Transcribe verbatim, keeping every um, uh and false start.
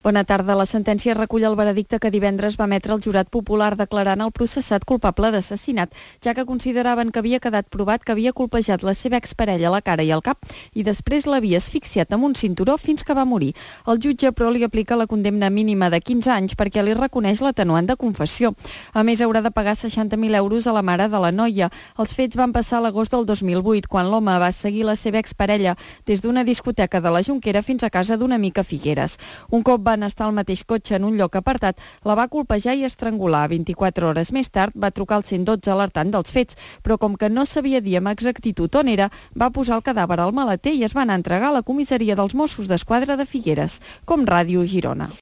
Bona tarda. La sentència recull el veredicte que divendres va emetre el jurat popular declarant el processat culpable d'assassinat, ja que consideraven que havia quedat provat que havia colpejat la seva exparella a la cara i al cap i després l'havia asfixiat amb un cinturó fins que va morir. El jutge, però, li aplica la condemna mínima de quinze anys perquè li reconeix l'atenuant de confessió. A més, haurà de pagar seixanta mil euros a la mare de la noia. Els fets van passar a l'agost del dos mil vuit, quan l'home va seguir la seva exparella des d'una discoteca de la Jonquera fins a casa d'un amic a Figueres. Un cop van estar al mateix cotxe en un lloc apartat, la va colpejar i estrangular. vint-i-quatre hores més tard va trucar al cent dotze alertant dels fets, però com que no sabia dir amb exactitud on era, va posar el cadàver al maleter i es va anar a entregar a la comissaria dels Mossos d'Esquadra de Figueres. Com Ràdio Girona.